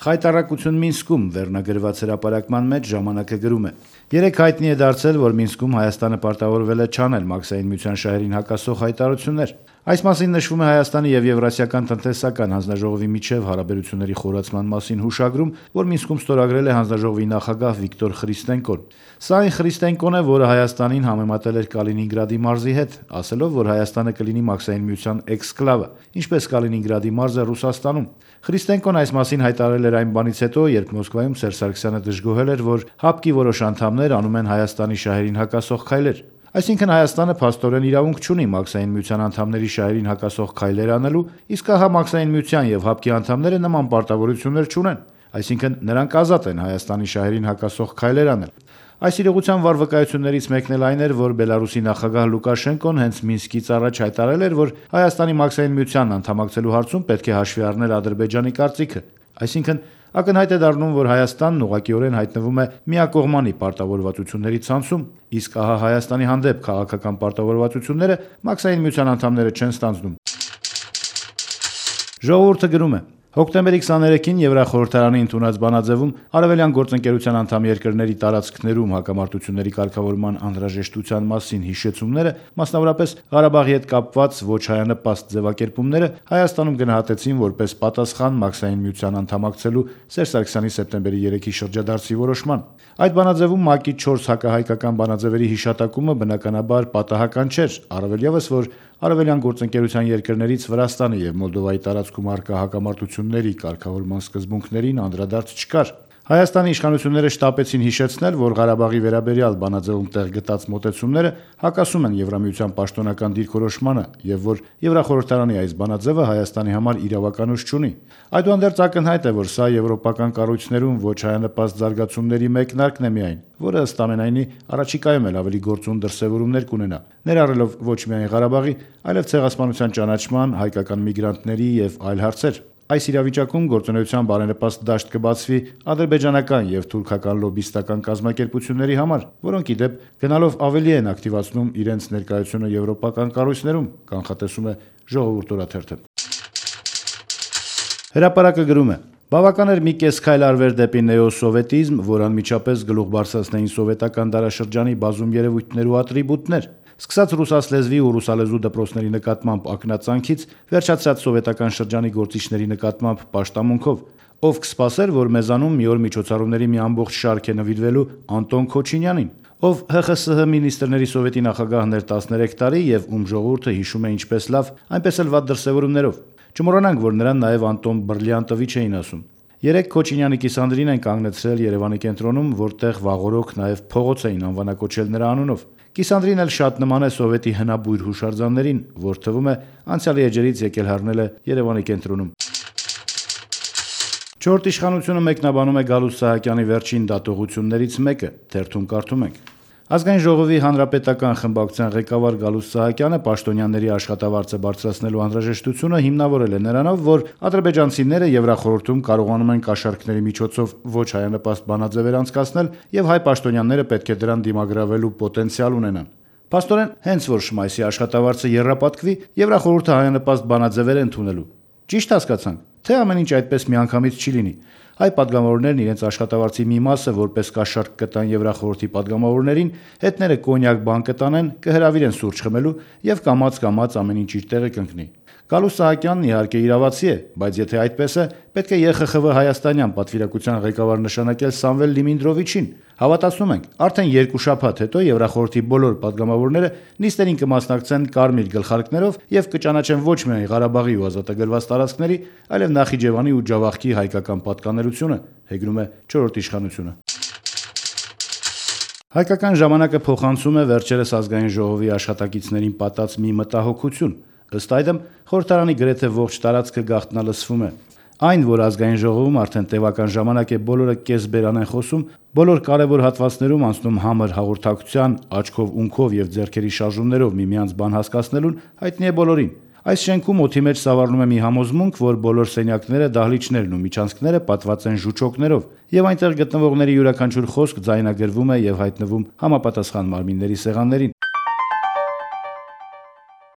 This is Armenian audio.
Խայտառակություն Մինսկում վերնագրված հրապարակման մեջ ժամանակը գրում է. Երեկ հայտնի է դարձել, որ Մինսկում Հայաստանը պարտավորվել է չանել Մաքսային միության շահերին հակասող հայտարարություններ։ Այս մասին նշվում է Հայաստանի եւ Եվրասիական տնտեսական հանձնաժողովի միջև հարաբերությունների խորացման մասին հուշագրում, որ Մինսկում ստորագրել է հանձնաժողովի նախագահ Վիկտոր Խրիստենկոն։ Սա այն Խրիստենկոն է, որը Հայաստանին համեմատել էր Կալինինգրադի մարզի հետ, ասելով, որ Հայաստանը կլինի Մաքսային միության էքսկլավը, ինչպես Կալինինգրադի մարզը Ռուսաստանում։ Խրիստենկոն այս մասին հայտարարել էր այն բանից հետո, երբ Մոսկվայում Սերժ Սարգսյանը դժգոհել էր, որ ՀԱՊԿ-ի որոշ անդամներ անում են Հայաստանի շահերին հակասող քայլեր։ Այսինքն Հայաստանը փաստորեն իրավունք չունի Մաքսային միության անդամների շահերին հակասող քայլեր անելու, իսկ ահա Մաքսային միության եւ ՀԱՊԿ-ի անդամները նման պարտավորություններ չունեն, այսինքն նրանք ազատ են Հայաստանի շահերին հակասող քայլեր անել։ Այս իրողության վառ վկայություններից մեկն էլ այն էր, որ Բելարուսի նախագահ Լուկաշենկոն հենց Մինսկից առաջ հայտարարել էր, որ Հայաստանի Մաքսային միությանն անդամակցելու հարցում պետք է հաշվի առնել Ադրբեջանի կարծիքը։ Այսինքն ակնհայտ է դառնում, որ Հայաստանն ուղղակիորեն հայտնվում է միակողմանի պարտավորվածությունների ցանցում, իսկ ահա Հայաստանի հանդեպ քաղաքական պարտավորվածությունները Մաքսային միության անդամները չեն ստանձնում։ Ժողովուրդը գրում է. Հոկտեմբերի 23-ին Եվրախորհրդարանի ընդունած բանաձևում Արևելյան գործընկերության անդամ երկրների տարածքներում հակամարտությունների կարգավորման անհրաժեշտության մասին հիշեցումները, մասնավորապես Ղարաբաղի հետ կապված ոչ հայանպաստ ձևակերպումները Հայաստանում գնահատեցին որպես պատասխան Մաքսային միության անդամակցելու Սերժ Սարգսյանի սեպտեմբերի 3-ի շրջադարձի որոշման։ Այդ բանաձևում ՄԱԿ-ի 4 հակահայկական բանաձևերի հիշատակումը բնականաբար պատահական չէր, առավել ևս, որ Արևելյան գործընկերության երկրներից Վրաստանի եւ Մոլդովայի տարածքում առկա հակամարտությունների կարգավորման սկզբունքներին անդրադարձ չկար։ Հայաստանի իշխանությունները շտապեցին հիշեցնել, որ Ղարաբաղի վերաբերյալ բանաձևում տեղ գտած մոտեցումները հակասում են Եվրամիության պաշտոնական դիրքորոշմանը եւ որ Եվրախորհրդարանի այս բանաձևը Հայաստանի համար իրավականություն չունի։ Այդուհանդերձ ակնհայտ է, որ սա եվրոպական կառույցներում ոչ հայանպաստ զարգացումների մեկնարկն է միայն, որը ըստ ամենայնի առաջիկայում էլ ավելի գործուն դրսևորումներ կունենա, ներառելով ոչ միայն Ղարաբաղի, այլև ցեղասպանության ճանաչման, հայկական միգրանտների եւ այլ հարցեր։ Այս իրավիճակում գործունեության բարենպաստ դաշտ կբացվի ադրբեջանական եւ թուրքական լոբիստական կազմակերպությունների համար, որոնք ի դեպ գնալով ավելի են ակտիվացնում իրենց ներկայությունը եվրոպական կառույցներում, կանխատեսում է Ժողովուրդ օրաթերթը։ Հրապարակը գրում է. Բավական էր մի կես քայլ արվեր դեպի նեոսովետիզմ, որ անմիջապես գլուխ բարձրացնեին սովետական դարաշրջանի բազում երևույթներ ու ատրիբուտներ, սկսած ռուսասլեզվի ու ռուսալեզու դպրոցների նկատմամբ ակնածանքից, վերջացած սովետական շրջանի գործիչների նկատմամբ պաշտամունքով, ով կսպասեր, որ մեզանում մի օր միջոցառումների մի ամբողջ շարք է նվիրվելու Անտոն Քոչինյանին, ով ՀԽՍՀ մինիստրների սովետի նախագահն էր 13 տարի եւ ում ժողովուրդը հիշում է ինչպես լավ, այնպես էլ վատ դրսևորումներով։ Չմոռանանք, որ նրան նաև Անտոն Բրլյանտովիչ էին ասում։ Երեք Քոչինյանի կիսանդրին են կանգնեցրել Երևանի կենտրոնում, որտեղ վաղօրոք նաև փողոց էին անվանակոչել նրա անունով։ Կիսանդրին էլ շատ նման է սովետի հնաբույր հուշարձաններին, որ թվում է անցյալի էջերից եկել հառնել է Երևանի կենտրոնում։ Չորրորդ իշխանությունը մեկնաբանում է Գալուստ Սահակյանի վերջին դատողություններից մեկը, թերթում կարդում ենք. Ազգային ժողովի հանրապետական խմբակցության ղեկավար Գալուստ Սահակյանը պաշտոնյաների աշխատավարձը բարձրացնելու անհրաժեշտությունը հիմնավորել է նրանով, որ ադրբեջանցիները Եվրախորհրդում կարողանում են կաշառքների միջոցով ոչ հայանպաստ բանաձևեր անցկացնել եւ հայ պաշտոնյաները պետք է դրան դիմագրավելու պոտենցիալ ունենան։ Փաստորեն, հենց որ Շմայսի աշխատավարձը եռապատկվի, Եվրախորհուրդը հայանպաստ բանաձևեր է ընդունելու։ Ճիշտ հասկացանք, թե ամեն ինչ այդպես միանգամից չի լինի։ Հայ падգամավորներն իրենց աշխատավարձի մի մասը որպես կաշառք կտան Եվրախորհրդի падգամավորներին, հետները կոնյակ բան կտանեն, կհրավիրեն սուրճ խմելու եւ կամաց ամեն ինչ իր տեղը կընկնի։ Գալուստ Սահակյանն իհարկե իրավացի է, բայց եթե այդպես է, պետք է ԵԽԽՎ հայաստանյան պատվիրակության ղեկավար նշանակել Սամվել Լիմինդրովիչին։ Հավատացնում ենք, արդեն 2 շաբաթ հետո Եվրախորհրդի բոլոր падգամավորները նիստերին կմասնակցեն կարմիր գլխարկներով եւ կճանաչեն ոչ միայն Ղարաբաղի ու ազատագրված տարածքների, այլև Նախիջևանի ու Ջավախքի հայկական պատկանելությունը, հեգնում է 4-րդ իշխանությունը։ Հայկական ժամանակը փոխանցում է վերջերս ազգային ժողովի աշխատակիցներին պատած մի մտահոգություն։ Ըստ այդմ, խորհրդարանի գրեթե ողջ տարածքը գաղտնալսվում է։ Այն, որ ազգային ժողովում արդեն տևական ժամանակ է բոլորը կեսբերան են խոսում, բոլոր կարևոր հատվածներում անցնում համր հաղորդակցության, աչքով ունքով եւ ձեռքերի շարժումներով միմյանց բան հասկացնելուն, հայտնի է բոլորին։ Այս շենքում օդի մեջ սավառնում է մի համոզմունք, որ բոլոր սենյակները, դահլիճներն ու միջանցքները պատված են ժուչոկներով, եւ այնտեղ գտնվողների յուրաքանչյուր խոսք ձայնագրվում է եւ հայտնվում համապատասխան մարմինների սեղաններին։